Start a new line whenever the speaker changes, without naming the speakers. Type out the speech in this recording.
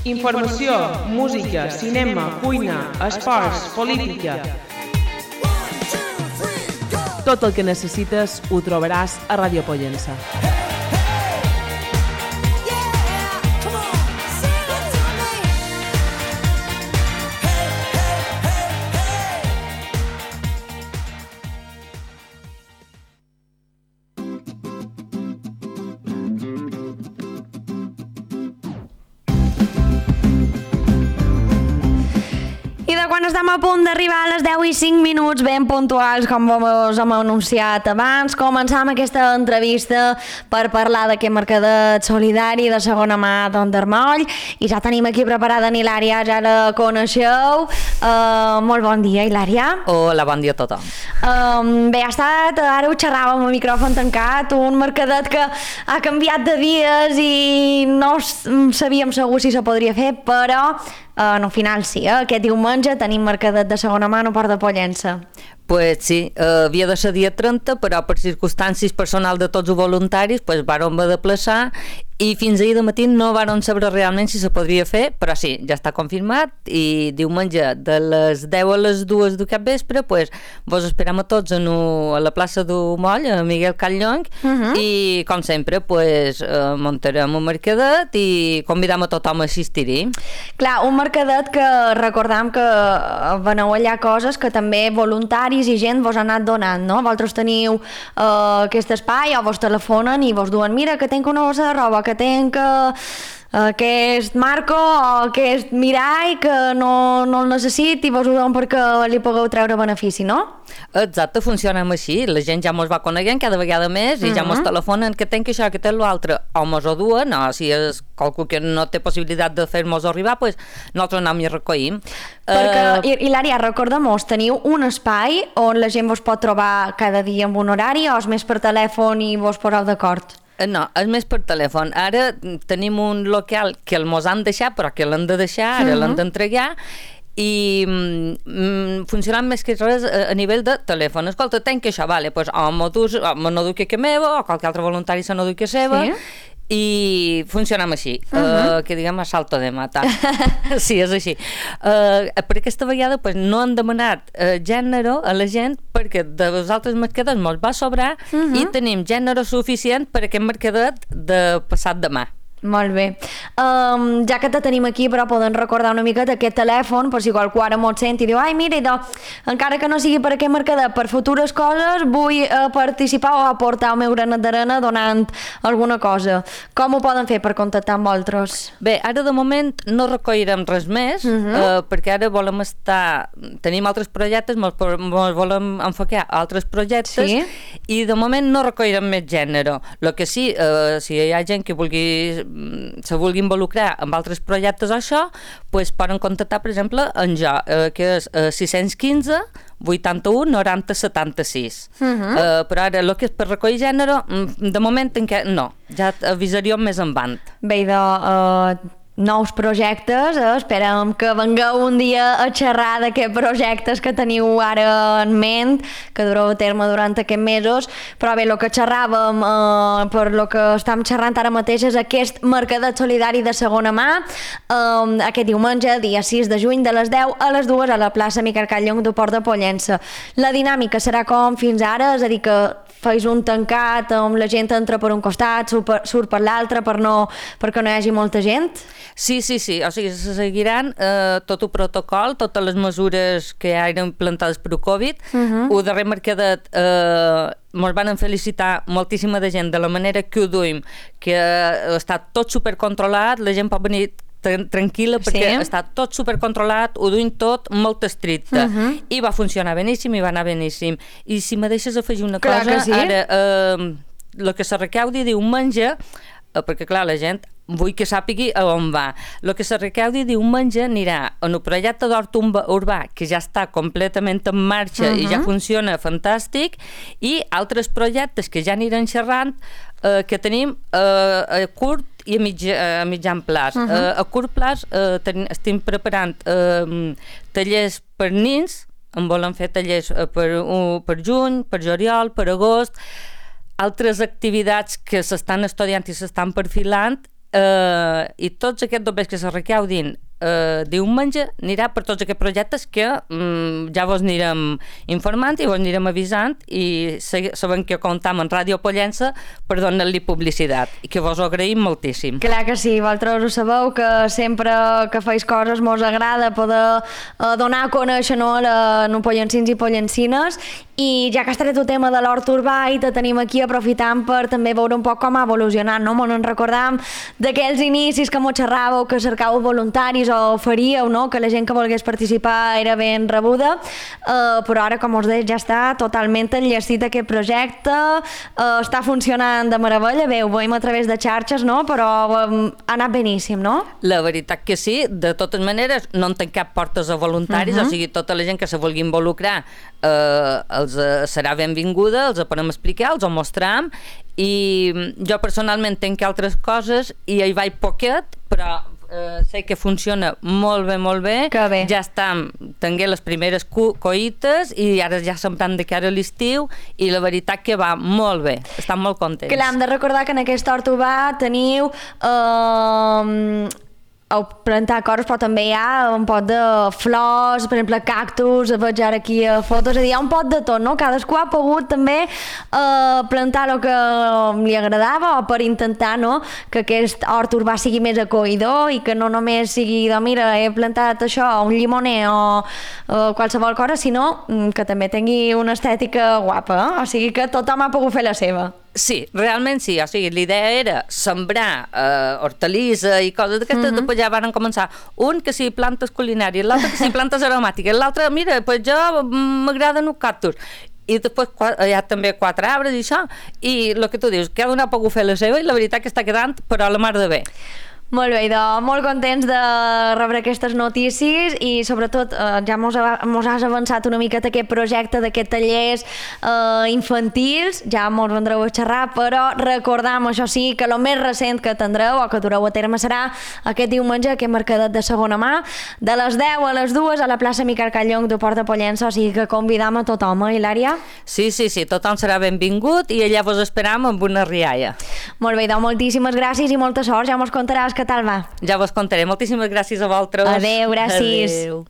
Informació, música, cinema, cuina, esports, política. Tot el que necessites ho trobaràs a Ràdio Pollença.
Quan estem a punt d'arribar a les 10 i 5 minuts ben puntuals, com us hem anunciat abans, començam aquesta entrevista per parlar d'aquest mercadet solidari de segona mà d'Endermoll, i ja tenim aquí preparada en Hilària, ja la coneixeu. Molt bon dia, Hilària.
Hola, bon dia a tothom.
Bé, ha estat, ara ho xerràvem amb el micròfon tancat, un mercadet que ha canviat de dies i no sabíem segur si se podria fer, però al final sí, aquest diumenge tenim mercadet de segona mà a Port de Pollença.
Pues sí, havia de ser dia 30, però per circumstàncies personals de tots els voluntaris pues vàrem haver de plaçar, i fins ahir de matí no vàrem saber realment si se podria fer, però sí, ja està confirmat, i diumenge de les 10 a les 2 d'aquest vespre pues vos esperam a tots a la plaça del Moll, a Miguel Catllong, i com sempre pues muntarem un mercadet i convidam a tothom a assistir-hi.
Clar, un mercadet que recordam que veneu allà coses que també voluntaris i gent vos ha anat donant, no? Vosaltres teniu aquest espai o vos telefonen i vos duen, mira que tenc una bossa de roba, que tenc aquest marco o aquest mirall que no el necessit i vos ho donen perquè li pugueu treure benefici, no?
Exacte, funcionem així, la gent ja mos va coneguent cada vegada més i ja mos telefonen que tenc això, que tenc l'altre, o mos ho duen, o si és qualcú que no té possibilitat de fer-mos arribar, pues nosaltres anem i recollim.
Perquè, Hilària, recordem-nos, teniu un espai on la gent vos pot trobar cada dia amb un horari o és més per telèfon i vos poseu d'acord?
No, és més per telèfon. Ara tenim un local que el mos han deixat, però que l'han de deixar, ara l'han d'entregar, i funcionant més que res a nivell de telèfon. Escolta, tenc això, vale, pues, o me no duc que meva, o qualque altre voluntari se no duc que seva, i funcionem així, que diguem a salto de mata. Sí, és així. Per aquesta vegada pues, no han demanat gènere a la gent perquè de els altres mercadets mos va sobrar i tenim gènere suficient per aquest mercadet de passat demà.
Molt bé. Ja que te tenim aquí, però podem recordar una mica d'aquest telèfon, per si qualcú ara mos sent i diu, ai, mira, encara que no sigui per aquest mercadet, per futures coses, vull participar o aportar el meu granet d'arena donant alguna cosa. Com ho poden fer per contactar amb vosaltres?
Bé, ara de moment no recollirem res més, perquè ara volem tenim altres projectes, mos volem enfocar a altres projectes, i de moment no recollirem més gènere. El que sí, si hi ha gent que se vulgui involucrar amb altres projectes o això, pues poden contactar, per exemple, en jo, que és 615 81 90 76. Però ara, el que és per recollir gènere, de moment no, ja avisaríem més endavant.
Bé, nous projectes, esperem que vengueu un dia a xerrar d'aquests projectes que teniu ara en ment, que dureu a terme durant aquests mesos, però bé, el que xerràvem, per el que estem xerrant ara mateix és aquest mercadet solidari de segona mà, aquest diumenge, dia 6 de juny, de les 10 a les 2 a la plaça Miquel Catllong de Port de Pollença. La dinàmica serà com fins ara, és a dir, que feis un tancat on la gent entra per un costat, surt per l'altre perquè no hi hagi molta gent?
Sí, o sigui, se seguiran tot el protocol, totes les mesures que eren plantades per Covid. El darrer mercadet ens van felicitar moltíssima de gent de la manera que ho duim, que està tot supercontrolat, la gent pot venir tranquil·la perquè està tot supercontrolat, ho duim tot molt estricte, i va funcionar beníssim i va anar beníssim. I si me deixes afegir una cosa, ara el que se recaudi diumenge, perquè clar, la gent vull que sàpigui a on va. El que se recaudi diumenge anirà en el projecte d'hort urbà, que ja està completament en marxa i ja funciona fantàstic, i altres projectes que ja aniran xerrant, que tenim a curt i a mitjan plaç. A curt plaç estem preparant tallers per nins, en volen fer tallers per juny, per juliol, per agost, altres activitats que s'estan estudiant i s'estan perfilant, i tots aquests doblers que se recaudin diumenge anirà per tots aquests projectes que ja vos anirem informant i vos anirem avisant i sabem que comptam en Ràdio Pollença per donar-li publicitat i que vos ho agraïm moltíssim.
Clar que sí, vosaltres ho sabeu que sempre que feis coses mos agrada poder donar a conèixer no pollencins i pollencines, i ja que has tret el tema de l'hort urbà i te tenim aquí aprofitant per també veure un poc com ha evolucionat, no? Ens recordam d'aquells inicis que mos xerràveu, que cercàveu voluntaris o faríeu, no? Que la gent que volgués participar era ben rebuda, però ara, com us deia, ja està totalment enllestit aquest projecte, està funcionant de meravella, bé, ho veiem a través de xarxes, no? Però ha anat beníssim, no?
La veritat que sí, de totes maneres no en tanquem cap portes a voluntaris, o sigui, tota la gent que se vulgui involucrar serà benvinguda, els ho podem explicar, els ho mostram, i jo personalment tenc altres coses i hi vaig poquet, però sé que funciona molt bé.
Que bé.
Ja tingué les primeres coïtes i ara ja sembrant de cara a l'estiu i la veritat que va molt bé, estan molt contents.
Clar, hem de recordar que en aquest hort urbà teniu plantar coses, però també hi ha un pot de flors, per exemple cactus, veig ara aquí fotos, és a dir, hi ha un pot de tot, no? Cadascú ha pogut també plantar el que li agradava o per intentar, no?, que aquest hort urbà sigui més acollidor i que no només sigui de mira, he plantat això, un llimoner o qualsevol cosa, sinó que també tingui una estètica guapa, o sigui que tothom ha pogut fer la seva.
Sí, realment sí, o sigui, l'idea era sembrar hortalissa i coses d'aquestes, després ja van començar un que sí plantes culinàries, l'altre que sí plantes aromàtiques, l'altre, mira, pues jo m'agraden els cactus, i després hi ha també 4 arbres i això, i el que tu dius, cada un ha pogut fer la seva i la veritat que està quedant però a la mar de bé.
Molt bé, molt contents de rebre aquestes notícies i sobretot ja mos has avançat una miqueta aquest projecte d'aquests tallers infantils, ja mos vendreu a xerrar, però recordam, això sí, que el més recent que tindreu o que dureu a terme serà aquest diumenge, aquest mercadet de segona mà, de les 10 a les 2 a la plaça Miquel Callong de Port de Pollença, o sigui que convidam a tothom, Hilària?
Sí, tothom serà benvingut i allà vos esperam amb una rialla.
Molt bé, moltíssimes gràcies i molta sort, ja mos contaràs què tal va.
Ja vos contaré. Moltíssimes gràcies a vosaltres.
Adéu, gràcies.
Adéu.